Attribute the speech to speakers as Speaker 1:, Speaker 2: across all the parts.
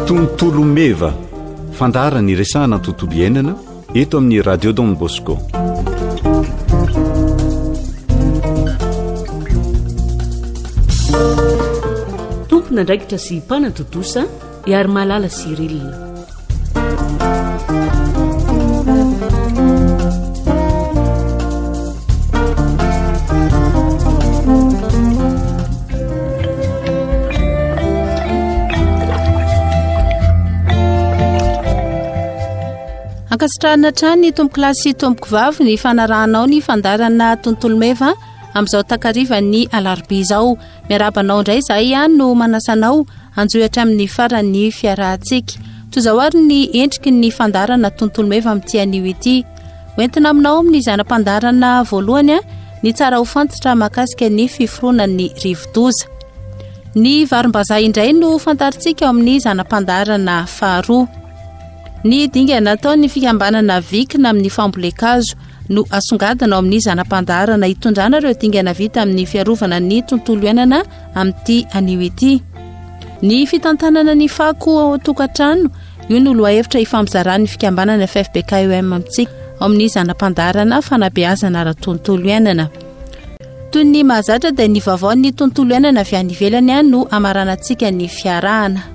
Speaker 1: Tontolo meva, fandaharana iresahana ny tontolo iainana eto amin'ny Radio Don Bosco.
Speaker 2: Tompon'andraikitra sy mpanatontosa Iarimalala Cyril.
Speaker 3: Ankasitrahana hatrany tompokolahy sy tompokovavy ny fanarahanao ny fandaharana tontolo meva amin'izao takarivan'ny alarobia izao. Miarahaba anao indray izahay no manasa anao hanjohy hatramin'ny faran'ny fiarahantsika. Toy izao ary ny endriky ny fandaharana tontolo meva amin'ity anio ity. Hoentina aminao amin'ny zana-pandaharana voalohany ny tsara ho fantatra mahakasika ny fiforonan'ny rivodoza. Ny varimbazaha indray no fantarintsika ao amin'ny zana-pandaharana faharoa. Ny dingana ataon'ny fikambanana Vikina amin'ny fambolen-kazo no asongadina ao amin'ny zana-pandaharana hitondrana ireo dingana vita amin'ny fiarovana ny tontolo iainana amin'ity anio ity. Ny fitantanana ny fako ao an-tokantrano, io no lohahevitra ifampizaran'ny fikambanana FFBKEM amintsika ao amin'ny zana-pandaharana fanabeazana ara-tontolo iainana. Toy ny mahazatra dia ny vaovaon'ny tontolo iainana avy any ivelany no hamaranantsika ny fiarahana.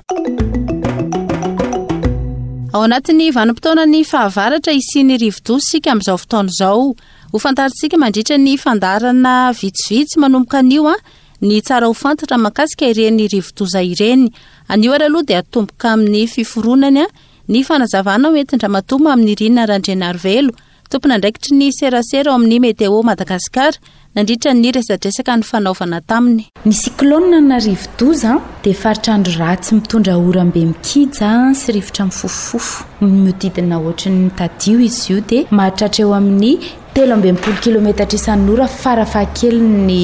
Speaker 3: Ao anatin'ny vanim-potoanan'ny fahavaratra hisian'ny rivodoza isika amin'izao fotoana izao. Ho fantarintsika mandritra ny fandaharana vitsivitsy manomboka anio ny tsara ho fantatra mahakasika ireny rivodoza ireny. Anio ary aloha dia atomboka amin'ny fiforonany ny fanazavana hoentin-dRamatoa Maminirina Randrianarivelo, Tompon'andraikitry ny serasera ao amin'ny Météo Madagascar, nandritra ny resadresaka nifanaovana taminy.
Speaker 4: Ny cyclone na rivodoza dia faritra andro ratsy mitondra oram-be mikija sy rivotra mifofofofo mihodidina ohatry ny tadio izy io dia mahatratra eo amin'ny 63 kilometatra isan'ora farafahakeliny ny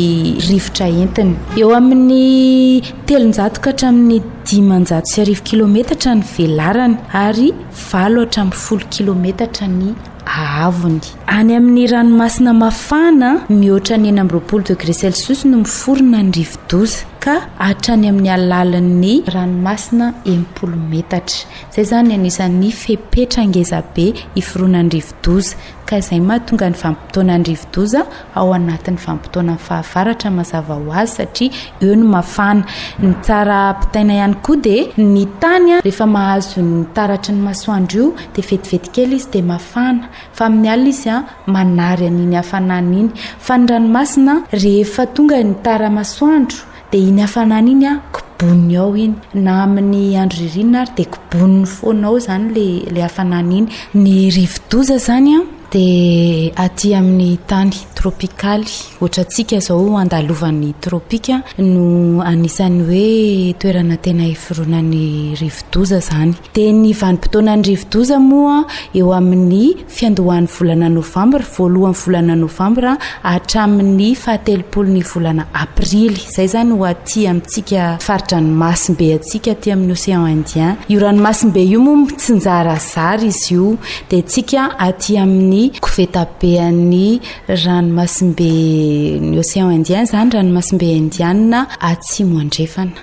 Speaker 4: rivotra entiny. Eo amin'ny 300 ka hatramin'ny 1500 kilometatra ny velarany ary valo hatramin'ny folo kilometatra ny haavony. Any amin'ny ranomasina mafana, mihoatra ny 26 degré celsius no miforona ny rivodoza, ka hatrany amin'ny halalin'ny ranomasina 60 metatra. Izay izany anisan'ny fepetra ngezabe iforonan'ny rivodoza. ka izay mahatonga ny vanim-potoanan'ny rivodoza ao anatin'ny vanim-potoanan'ny fahavaratra mazava ho azy satria eo no mafana. Ny tsara ampitaina ihany koa dia ny tany rehefa mahazo ny taratry ny masoandro io dia vetivety kely izy dia mafana fa amin'ny alina izy manary an'iny hafanana iny fa ny ranomasina rehefa tonga ny tara-masoandro Dia iny hafanana iny an, koboniny ao iny. Na amin'ny andro ririnina ary dia koboniny foana ao izany ilay ilay hafanana iny. Ny rivodoza izany an, dia aty amin'ny tany tropikaly, ohatrantsika izao andalovan'ny tropika no anisan'ny hoe toerana tena iforonan'ny rivodoza izany. Dia ny vanim-potoanan'ny rivodoza moa eo amin'ny fiandohan'ny volana novambra, voalohan'ny volana novambra hatramin'ny fahatelopolo ny volana aprily. Izay izany ho aty amintsika fari-dranomasimbe antsika aty amin'ny Océan Indien. Io ranomasimbe io moa mitsinjarazara izy io. Dia antsika aty amin'ny kovetabean'ny ranomasimbe ny Océan Indien izany, ranomasimbe Indiana atsimo andrefana.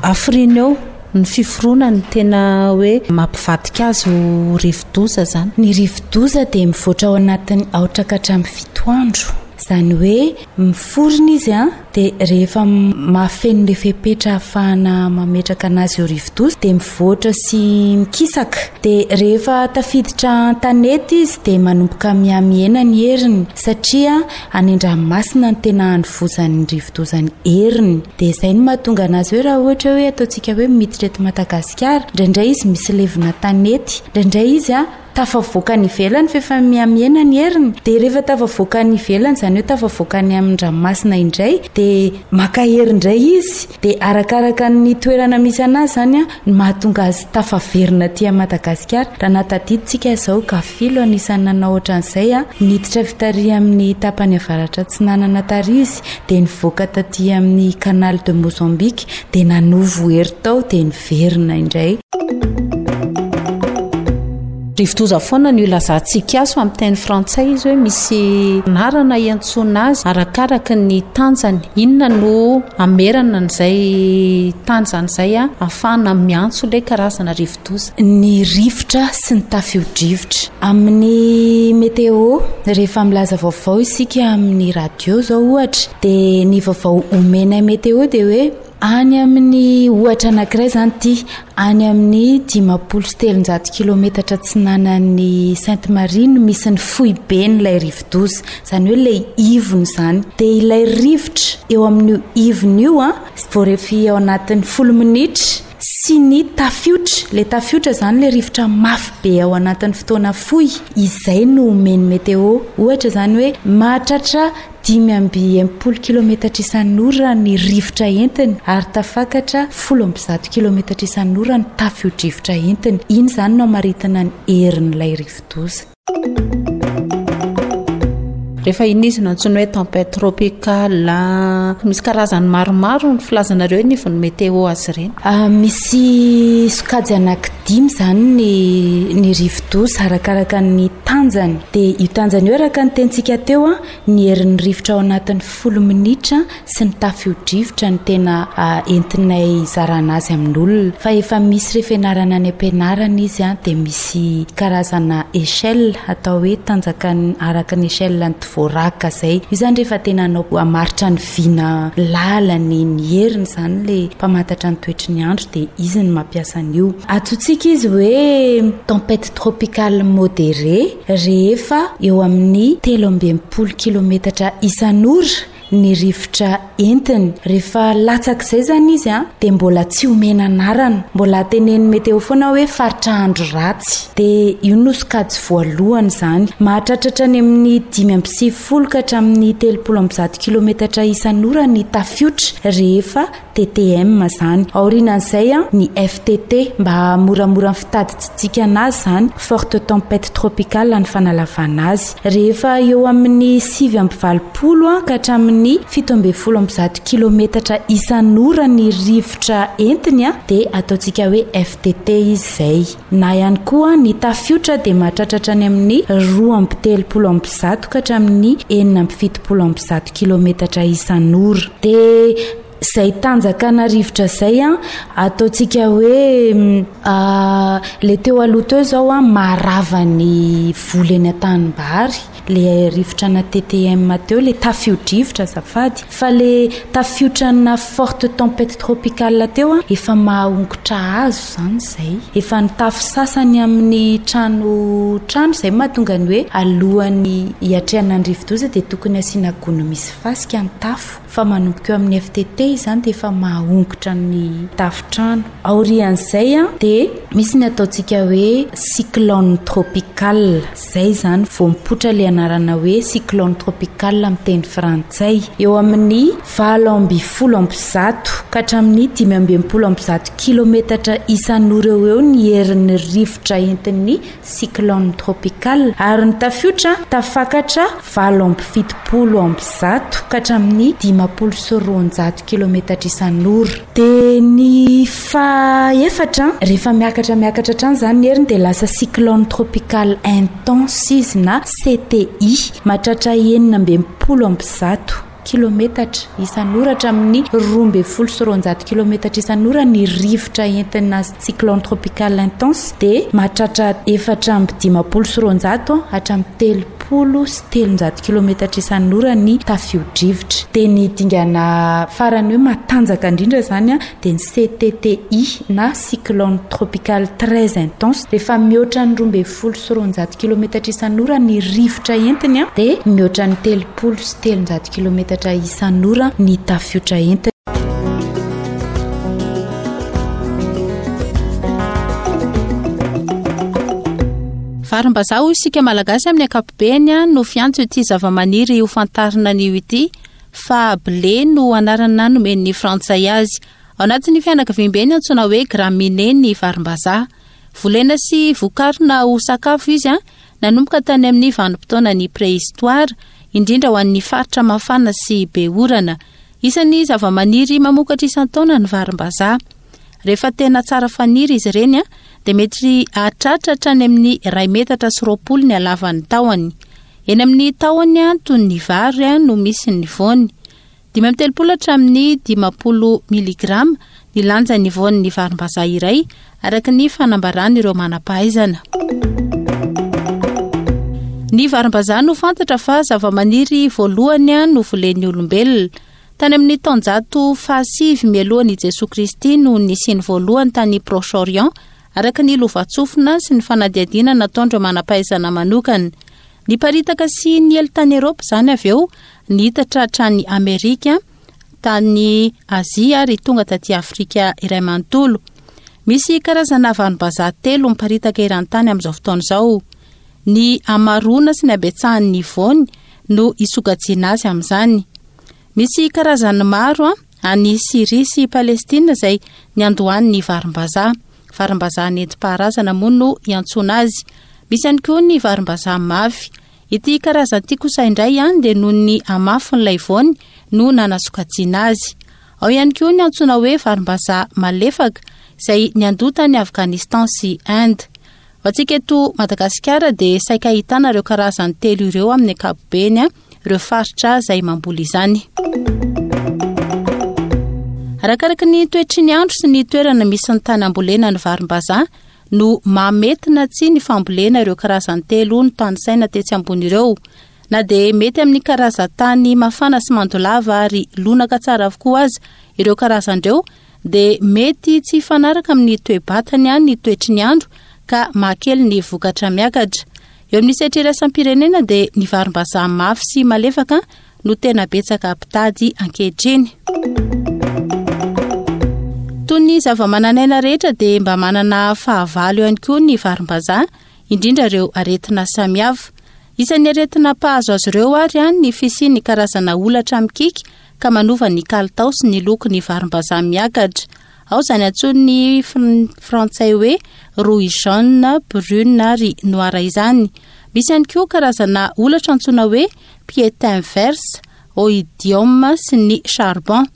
Speaker 3: Hafiriana eo ny fiforonany tena hoe mampivadika azy ho rivodoza izany?
Speaker 4: Ny rivodoza dia mivoatra ao anatin'ny aotra ka hatramin'ny fito andro. Izany hoe miforona izy dia rehefa mahafeno ilay fepetra ahafahana mametraka anazy ho rivodoza dia mivoatra sy mikisaka. Dia rehefa tafiditra an-tanety izy dia manomboka mihamihena ny heriny satria any an-dranomasina no tena anovozan'ny rivodoza ny heriny. Dia izay no mahatonga anazy hoe raha ohatra hoe ataontsika hoe miditra eto Madagasikara, indraindray izy misy levona tanety, indraindray izy tafavoaka any ivelany fa efa mihamihena ny heriny. Dia rehefa tafavoaka any ivelany, izany hoe tafavoaka any amin'ny ranomasina indray, dia maka hery indray izy. Dia arakaraka ny toerana misy anazy izany no mahatonga azy tafaverina aty Madagasikara. Raha nahatadidintsika izao, Gafilo anisan'ny nanao ohatran'izay, niditra avy tary amin'ny tapany avaratra atsinanana tary izy, dia nivoaka taty amin'ny Canal de Mozambique, dia nanovo hery tao, dia niverina indray.
Speaker 3: Rivodoza foana no ilazantsika azy fa amin'ny teny frantsay izy hoe misy anarana iantsoana azy arakaraky ny tanjany. Inona no hamerana an'izay tanjany izay ahafahana miantso ilay karazana rivodoza?
Speaker 4: Ny rivotra sy ny tafio-drivotra. Amin'ny météo, rehefa milaza vaovao isika amin'ny radio izao ohatra dia ny vaovao omenay météo dia hoe Any amin'ny, ohatra anankiray izany ity, any amin'ny 350 kilometatra atsinanan'i Sainte Marie no misy ny foiben'ilay rivodoza, izany hoe ilay ivony izany. Dia ilay rivotra eo amin'io ivony io an, voarefy ao anatin'ny folo minitra, sy ny tafiotra, ilay tafiotra izany ilay rivotra mafy be ao anatin'ny fotoana fohy, izay no omen'ny météo. Ohatra izany hoe mahatratra 65 kilometatra isan'ora ny rivotra entiny ary tafakatra 110 kilometatra isan'ora ny tafio-drivotra entiny. Iny izany no amaritana ny herin'ilay rivodoza.
Speaker 3: Rehefa iny izy no antsoina hoe tempête tropicale. Misy karazany maromaro ny filazanareo anivon'ny météo azy ireny.
Speaker 4: Misy sokajy anankidimy izany ny ny rivodoza arakaraka ny tanjany. Dia io tanjany io araka ny tenintsika teo, ny herin'ny rivotra ao anatin'ny folo minitra sy ny tafio-drivotra no tena entinay hizarana azy amin'olona. Fa efa misy rehefa ianarana any am-pianarana izy dia misy karazana échelle atao hoe tanjaka araka ny échelle ny Dvorak izay. Io izany rehefa tena hanao hamaritra ny vina lalany, ny heriny izany ilay mpamantatra ny toetry ny andro dia izy no mampiasa an'io. Antsointsika izy hoe tempête tropicale modérée. Rehefa eo amin'ny 63 kilometatra isan'ora ny rivotra entiny. Rehefa latsak'izay izany izy dia mbola tsy omena anarana. Mbola tenenin'ny météo foana hoe faritra andro ratsy. Dia io no sokajy voalohany izany. Mahatratra hatrany amin'ny 95 ka hatramin'ny 130 kilometatra isan'ora ny tafiotra rehefa TTM izany. Aorianan'izay ny FTT mba hahamoramora ny fitadidiantsika anazy izany, forte tempête tropicale ny fanalavana azy. Rehefa eo amin'ny 89 ka hatramin'ny 117 kilometatra isan'ora ny rivotra entiny dia ataontsika hoe FTT izy izay. Na ihany koa ny tafiotra dia mahatratra hatrany amin'ny 132 ka hatramin'ny 176 kilometatra isan'ora. Dia Izay tanjaka na rivotra izay an, ataontsika hoe le teo aloha teo izao an, maharava ny voly eny an-tanimbary, le rivotra na TTM teo, le tafio-drivotra azafady, fa le tafiotra na forte tempête tropicale teo an, efa maha-ongotra hazo izany izay, efa ny tafo sasany amin'ny trano trano, izay mahatonga ny hoe alohan'ny hiatrehana ny rivodoza dia tokony asiana gony misy fasika ny tafo. Fa manomboka eo amin'ny FTT izany dia efa mahahongotra ny tafontrano. Aorian'izay dia misy ny ataontsika hoe cyclone tropical. Izay izany vao mipoitra ilay anarana hoe cyclone tropical amin'ny teny frantsay. Eo amin'ny 118 ka hatramin'ny 165 kilometatra isan'ora eo ho eo ny herin'ny rivotra entin'ny cyclone tropical ary ny tafiotra tafakatra 178 ka hatramin'ny 250 kilometatra isan'ora. Dia ny fahaefatra, rehefa miakatra miakatra hatrany izany ny heriny dia lasa cyclone tropical intense izy na CTI, mahatratra 166. Kilometatra isan'ora hatramin'ny 212 kilometatra isan'ora ny rivotra entina cyclone tropical intense dia mahatratra 254 hatramin'ny 330 kilometatra isan'ora ny tafio-drivotra. Dia ny dingana farany hoe matanjaka indrindra izany dia ny CTTI na cyclone tropical très intense, rehefa mihoatra ny 212 kilometatra isan'ora ny rivotra entiny dia mihoatra ny 330 kilometatra isan'ora ny tafiotra entiny.
Speaker 3: Varimbazaha hoy isika Malagasy amin'ny ankapobeny no fiantso ity zavamaniry ho fantarina anio ity fa blé no anarana nomen'ny Frantsay azy. Ao anatin'ny fianakaviambeny antsoina hoe Graminées ny varimbazaha. Volena sy vokarina ho sakafo izy nanomboka tany amin'ny vanim-potoanan'ny préhistoire, indrindra ho an'ny faritra mafana sy be orana. Isan'ny zavamaniry mamokatra isan-taona ny varimbazaha. Rehefa tena tsara faniry izy ireny dia mety hahatratra hatrany amin'ny iray metatra sy 20 ny halavan'ny tahony. Eny amin'ny tahony toy ny vary no misy ny voany. 35 hatramin'ny 50 miligrama ny lanjan'ny voan'ny varimbazaha iray, araka ny fanambaran'ireo manam-pahaizana. Ny varimbazaha no fantatra fa zavamaniry voalohany novolen'ny olombelona. Tany amin'ny taonjato fahasivy mialohan'i Jesoa Kristy no nisiany voalohany tany Proche-Orient, araka ny lovantsofina sy ny fanadihadiana nataon'ireo manam-pahaizana manokana. Niparitaka sy niely tany Eropa izany avy eo, nihitatra hatrany Amerika, tany Azia ary tonga taty Afrika iray manontolo. Misy karazana vanim-bazaha telo miparitaka eran-tany amin'izao fotoana izao. Ny hamaroana sy ny habetsahan'ny voany no isokajiana azy amin'izany. Misy karazany maro any Syria sy Palestina izay niandohan'ny varimbazaha. Varimbazaha nentim-paharazana moa no iantsoana azy. Misy ihany koa ny varimbazaha mafy. Ity karazana ity kosa indray dia noho ny hamafin'ilay voany no nanasokajiana azy. Ao ihany koa ny antsoina hoe varimbazaha malefaka izay niandoha tany Afghanistan sy Inde. Ho antsika eto Madagasikara dia saika ahitana ireo karazany telo ireo amin'ny ankapobeny ireo faritra izay mamboly izany. Arakaraka ny toetry ny andro sy ny toerana misy ny tany ambolena ny varimbazaha no mahamety na tsia ny fambolena ireo karazany telo notanisaina tetsy ambony ireo. Na dia mety amin'ny karazan-tany mafana sy mando lava ary lonaka tsara avokoa aza ireo karazany ireo dia mety tsy hifanaraka amin'ny toe-batany ny toetry ny andro ka mahakely ny vokatra miakatra. Eo amin'ny sehatra iraisam-pirenena dia ny varimbazaha mafy sy malefaka no tena betsaka mpitady ankehitriny. Toy ny zavamananaina rehetra dia mba manana fahavalo ihany koa ny varimbazaha, indrindra ireo aretina samihafa. Isan'ny aretina mpahazo azy ireo ary ny fisian'ny karazana holatra mikiky ka manova ny kalitao sy ny lokon'ny varimbazaha miakatra. Ao izany antsoin'ny frantsay hoe rouille jaune, brune ary noire izany. Misy ihany koa karazana holatra antsoina hoe piétin verse, oïdium sy ny charbon.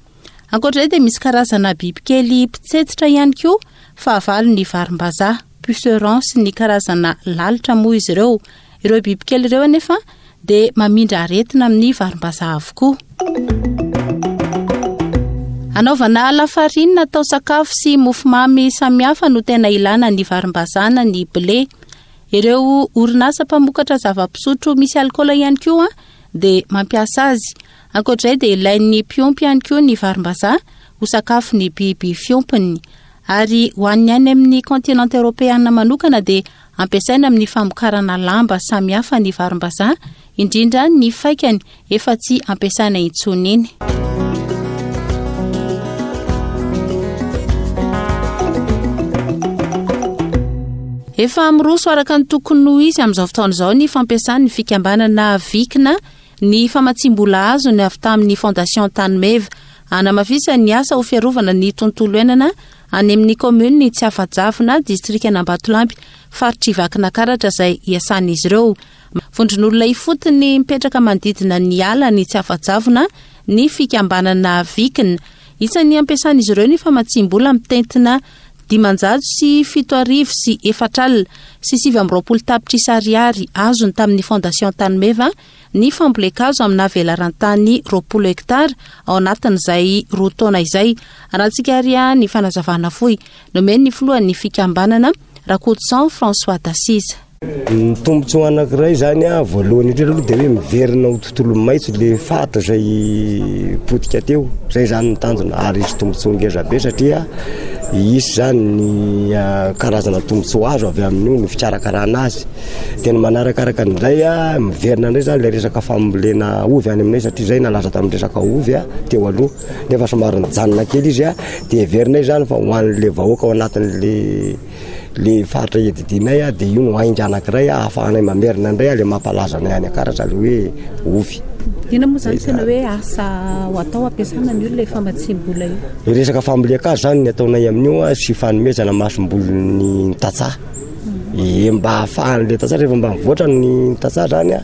Speaker 3: Ankoatra izay dia misy karazana bibikely mpitsetsitra ihany koa fahavalon'ny varimbazaha, puceron sy ny karazana lalitra moa izy ireo. Ireo bibikely ireo anefa dia mamindra aretina amin'ny varimbazaha avokoa. Anaovana lafarinina atao sakafo sy mofomamy samihafa no tena ilana ny varimbazaha na ny blé. Ireo orinasa mpamokatra zava-pisotro misy alikaola ihany koa dia mampiasa azy. Ankoatra izay dia ilain'ny mpiompy ihany koa ny varimbazaha ho sakafon'ny biby fiompiny. Ary ho an'ny any amin'ny kontinanta eoropeana manokana dia Ampiasaina amin'ny famokarana lamba samihafa ny varimbazaha, indrindra ny faikany efa tsy ampiasaina intsony iny. Efa miroso araka ny tokony ho izy amin'izao fotoana izao ny fampiasan'ny fikambanana Vikina ny famatsiam-bola azony avy tamin'ny Fondation Tanimeva hanamafisany ny asa ho fiarovana ny tontolo iainana any amin'ny kaominin'i Tsiafajavona, distrikan'Ambatolampy, faritr'i Vakinakaratra izay iasan'izy ireo. Vondron'olona ifotony mipetraka manodidina ny ala ny Tsiafajavona ny fikambanana Vikina. Isan'ny ampiasan'izy ireo ny famatsiam-bola mitentina 2470 29 tapitrisa ariary azony tamin'ny Fondation Tanimeva ny fambolen-kazo amina velaran-tany 20 hektara ao anatin'izay roa taona izay. Arahantsika ary ny fanazavana fohy nomen'ny filohan'ny fikambanana, Rakotoson François D'Assise.
Speaker 5: Ny tombontsoa anankiray izany voalohany indrindra aloha dia hoe miverina ho tontolo maitso ilay faritra izay potika teo. Izay izany ny tanjona ary hisy tombontsoa ngeza be satria hisy izany ny karazana tombontsoa azo avy amin'io ny fikarakarana azy. Dia ny manarakaraka an'izay, miverina indray izany ilay resaka fambolena ovy any aminay satria izay nalaza tamin'ny resaka ovy teo aloha nefa somary nijanona kely izy dia heverinay izany fa ho an'ilay vahoaka ao anatin'ilay Le faritra iadidianay dia io no ainga anankiray ahafahanay mamerina indray le mampalaza anay any Ankaratra le hoe ovy.
Speaker 3: Inona moa izany tena hoe asa ho atao ampiasana an'io ilay famatsiam-bola io?
Speaker 5: Ny resaka fambolen-kazo izany ny ataonay amin'io sy fanomezana masombolin'ny tantsaha. Ie mba ahafahan'le tantsaha rehefa mba mivoatra ny tantsaha izany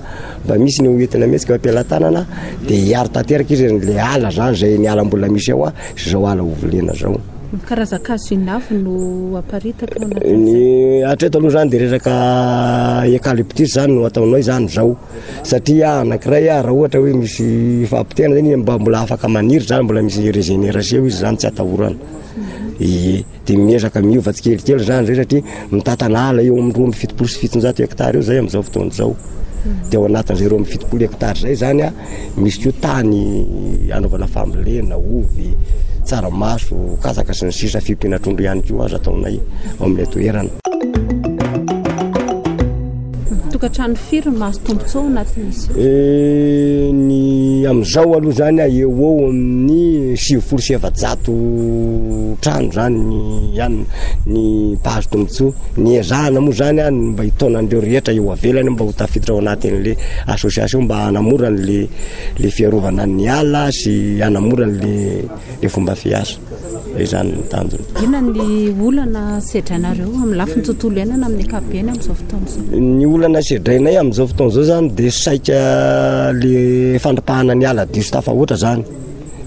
Speaker 5: mba misy ny ho entina mihetsika eo am-pelatanana dia hiaro tanteraka izy le ala izany izay ny ala mbola misy ao sy izao ala ho volena izao.
Speaker 3: Karazan-kazo inona avy no aparitaka ao anatin'izay?
Speaker 5: Ny hatreto aloha zany dia resaka eucalyptus zany no ataonay zany zao satria anankiray raha ohatra hoe misy fahapotehana zany mba mbola afaka maniry zany mbola misy régénération izy zany tsy atahorana. Ie, dia miezaka miova tsikelikely zany zay satria mitantana ala eo amin'ny 772 hectares eo zay amin'izao fotoana izao. Dia ao anatin'izay 72 hectares zay zany a, Misy koa tany anaovana fambolena, ovy, tsaramaso, katsaka sy ny sisa Fiompiana trondro ihany koa aza ataonay ao amin'ilay toerana.
Speaker 3: Tokantrano firy no mahazo tombontsoa ao anatin'izy
Speaker 5: io? Eh, ny amin'izao aloha zany a, eo ho eo amin'ny 490 trano zany ny ihany ny mpahazo tombontsoa. Ny ezahana moa zany a, ny mba hitaona an'ireo rehetra eo avelany mba ho tafiditra ao anatin'le association mba hanamora an'le le fiarovana ny ala sy hanamora an'le le fomba fiasa. Zay zany ny tanjona.
Speaker 3: Inona ny olana sedrainareo amin'ny lafiny tontolo iainana amin'ny ankapobeny amin'izao fotoana izao?
Speaker 5: Ny olana sedrainay amin'izao fotoana izao zany dia saika le fandripahana ny ala diso tafahoatra zany.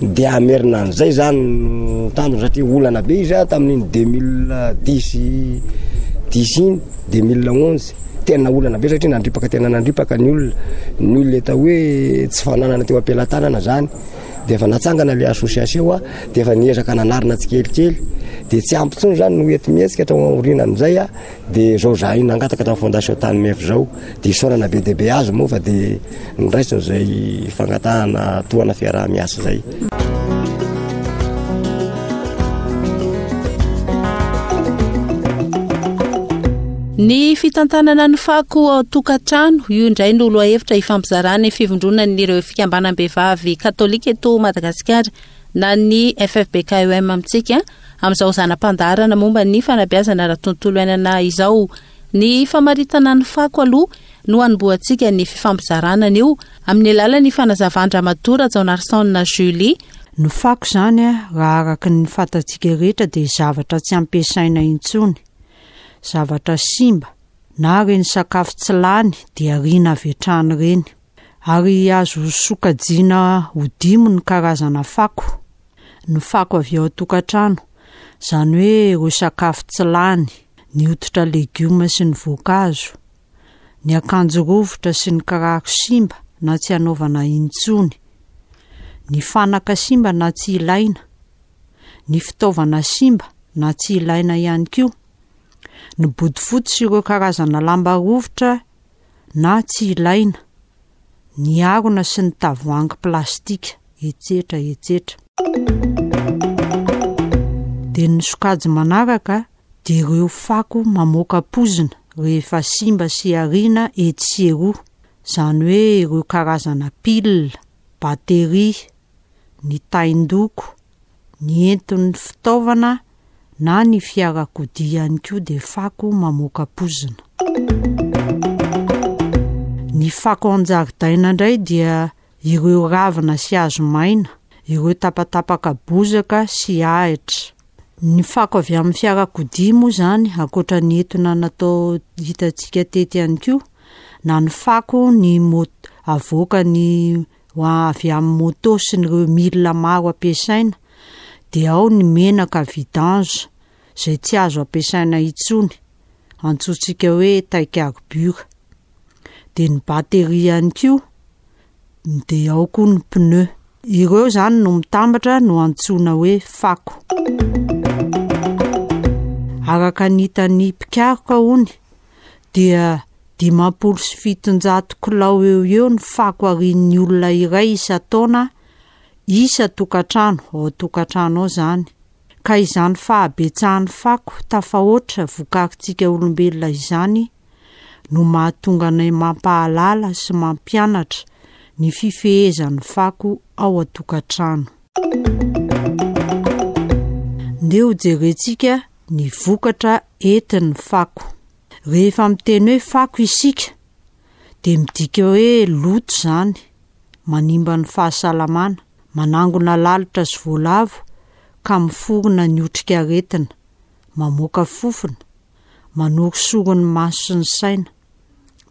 Speaker 5: Dia hamerina an'izay zany no tanjona satria olana be izy tamin'iny 2010 dix iny, 2011. Tena olana be satria nandripaka tena nandripaka ny olona. Ny olona atao hoe tsy fananana teo am-pelatanana zany. Dia efa natsangana le association a, dia efa niezaka nanarina tsikelikely. Dia tsy ampy intsony zany no enti-mihetsika tao aorianan'izay a, dia zao zahay nangataka tamin'ny fondation Tany Mefy zao. Dia isaorana be dia be azy moa fa dia noraisiny izay fangatahana tohana fiaraha-miasa izay.
Speaker 3: Ny fitantanana ny fako ao an-tokantrano, io indray no lohahevitra ifampizarana ny fivondronan'ireo fikambanam-behivavy katolika eto Madagasikara na ny FFBKEM amintsika amin'izao zana-pandaharana momba ny fanabeazana ara-tontolo iainana izao. Ny famaritana ny fako aloha no hanombohantsika ny fifampizarana anio amin'ny alalan'ny fanazavan-dRamatoa Rajaonarison Julie.
Speaker 6: Ny fako izany raha araka ny fantatsika rehetra dia zavatra tsy ampiasaina intsony, zavatra simba na ireny sakafo tsy lany dia ariana avy hatrany ireny. Ary azo sokajiana ho dimy ny karazana fako. Ny fako avy ao an-tokantrano, izany hoe ireo sakafo tsy lany, ny hoditra legioma sy ny voankazo, ny akanjo rovitra sy ny kiraro simba na tsy anaovana intsony, ny fanaka simba na tsy ilaina, ny fitaovana simba na tsy ilaina ihany koa, ny bodofotsy sy ireo karazana lamba rovitra na tsy ilaina, ny harona sy ny tavoahangy plastika, etsetra etsetra. Dia ny sokajy manaraka dia ireo fako mamoaka poizina rehefa simba sy ariana etsy sy eroa, izany hoe ireo karazana pile, batterie, ny tain-doko, ny enton'ny fitaovana na ny fiarakodia ihany koa dia fako mamoaka poizina. Ny fako an-jaridaina indray dia ireo ravina sy hazo maina, ireo tapatapaka bozaka sy ahitra. Ny fako avy amin'ny fiarakodia moa izany, ankoatra ny etona natao hitantsika teto ihany koa, na ny fako ny mot- avoakan'ny ho avy amin'ny moto sy ny ireo milina maro ampiasaina dia ao ny menaka vidange izay tsy azo ampiasaina intsony, antsointsika hoe taikarbure. Dia ny batterie ihany koa, dia ao koa ny pneu. Ireo izany no mitambatra no antsoina hoe fako. Araka ny hitan'ny mpikaroka hono dia 750 kilao eo ho eo ny fako arian'ny olona iray isan-taona isan-tokantrano, ao an-tokantrano ao izany. Ka izany fahabetsahan'ny fako tafahoatra vokarintsika olombelona izany no mahatonga anay mampahalala sy mampianatra ny fifehezan'ny fako ao an-tokantrano. Ndeha hojerentsika ny vokatra entin'ny fako. Rehefa miteny hoe fako isika dia midika hoe loto izany, manimba ny fahasalamana, manangona lalitra sy voalavo ka miforona ny otrikaretina, mamoaka fofona, manorisory ny maso sy ny saina,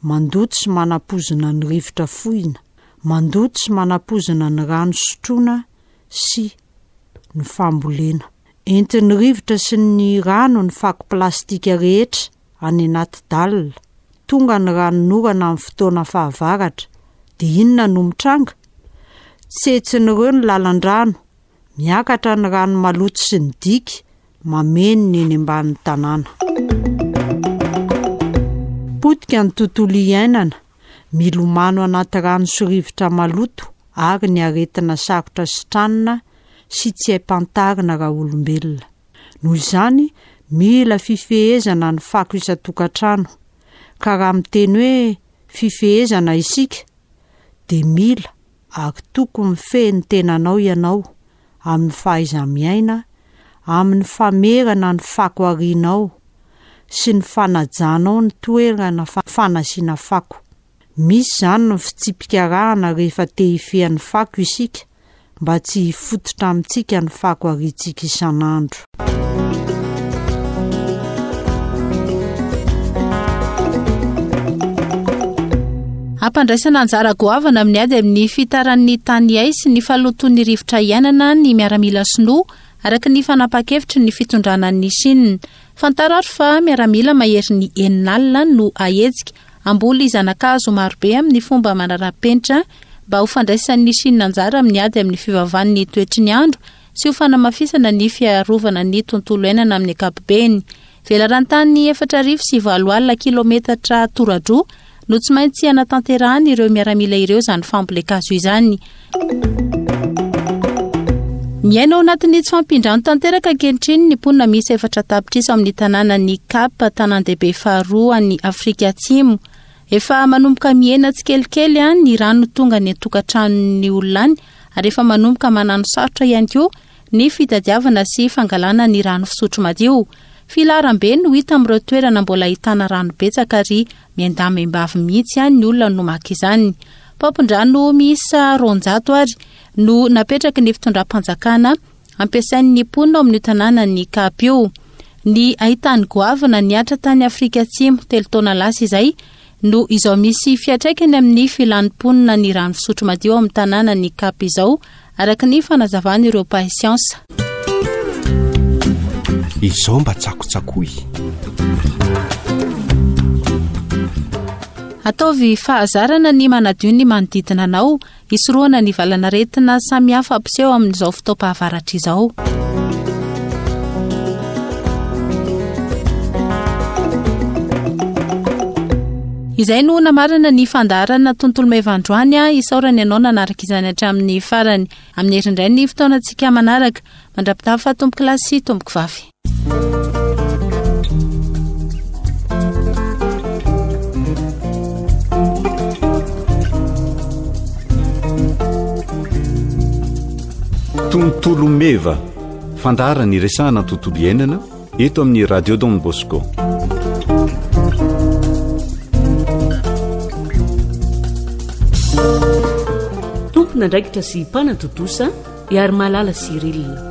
Speaker 6: mandoto sy manapozina ny rivotra fohina, mandoto sy manapozina ny rano sotroina sy ny fambolena. Entin'ny rivotra sy ny rano ny fako plastika rehetra any anaty dalle. Tonga ny ranonorana amin'ny fotoana fahavaratra, dia inona no mitranga? Tsetsin'ireo ny lalan-drano, miakatra ny rano maloto sy ny diky, mameno ny eny ambanin'ny tanàna. Potika ny tontolo iainana, milomano anaty rano sy rivotra maloto ary ny aretina sarotra sitranina sy tsy haim-pantarina raolombelona. Noho izany, mila fifehezana ny fako isan-tokantrano. Ka raha miteny hoe fifehezana isika, dia mila ary tokony mifehy ny tenanao ianao amin'ny fahaiza-miaina, amin'ny famerana ny fako arianao sy ny fanajanao ny toerana fanasiana fako. Misy izany ny fitsipika arahana rehefa te hifehy ny fako isika mba tsy hifototra amintsika ny fako ariantsika isan'andro.
Speaker 3: Ampandraisana anjara goavana amin'ny ady amin'ny fitaran'ny tany hay sy ny fahalotoan'ny rivotra iainana ny miaramila sinoa, araka ny fanapahan-kevitry ny fitondrana an'i Chine. Fantaro ary fa miaramila maherin'ny 60 no ahetsika Hamboly zana-kazo marobe amin'ny fomba manara-penitra mba ho fandraisan'ny Chine anjara amin'ny ady amin'ny fivavan'ny toetry ny andro sy ho fanamafisana ny fiarovana ny tontolo iainana amin'ny ankapobeny. Velaran-tany 8008 kilometatra tora-droa no tsy maintsy hanatanterahan'ireo miaramila ireo izany fambolen-kazo izany. Miaina ao anatin'ny tsy fahampian-drano tanteraka ankehitriny ny mponina miisa 4 tapitrisa ao amin'ny tanànan'i Cap, tanàn-dehibe faharoa any Afrika Atsimo. Efa manomboka mihena tsikelikely ny rano tonga any an-tokantranon'ny olona any ary efa manomboka manano sarotra ihany koa ny fitadiavana sy fangalana ny rano fisotro madio. Filaharam-be no hita amin'ireo toerana mbola ahitana rano betsaka ary miandahy miambavy mihitsy ny olona no maka izany. Paompin-drano miisa 200 ary no napetraky ny fitondram-panjakana ampiasain'ny mponina ao amin'io tanànan'i Cap io. Ny haitany goavana nihatra tany Afrika Atsimo telo taona lasa izay no izao misy fiantraikany amin'ny filan'ny mponina ny rano fisotro madio ao amin'ny tanànan'i Cap izao, araka ny fanazavan'ireo mpahay siansa.
Speaker 7: Izao mba tsakotsakoy.
Speaker 3: Ataovy fahazarana ny manadio ny manodidina anao, hisorohana ny valanaretina samihafa mpiseho amin'izao fotoam-pahavaratra izao. Izay no namarana ny fandaharana tontolo meva androany a isaorana ianao nanaraka izany hatramin'ny farany. Amin'ny herindray ny fotoanantsika manaraka. Mandra-pitafa tompoko lahy sy tompoko vavy.
Speaker 1: Tontolo meva, fandaharana iresahana tontolo iainana eto amin'ny Radio Don Bosco.
Speaker 2: Tompon'andraikitra sy mpanatontosa Iarimalala Cyril.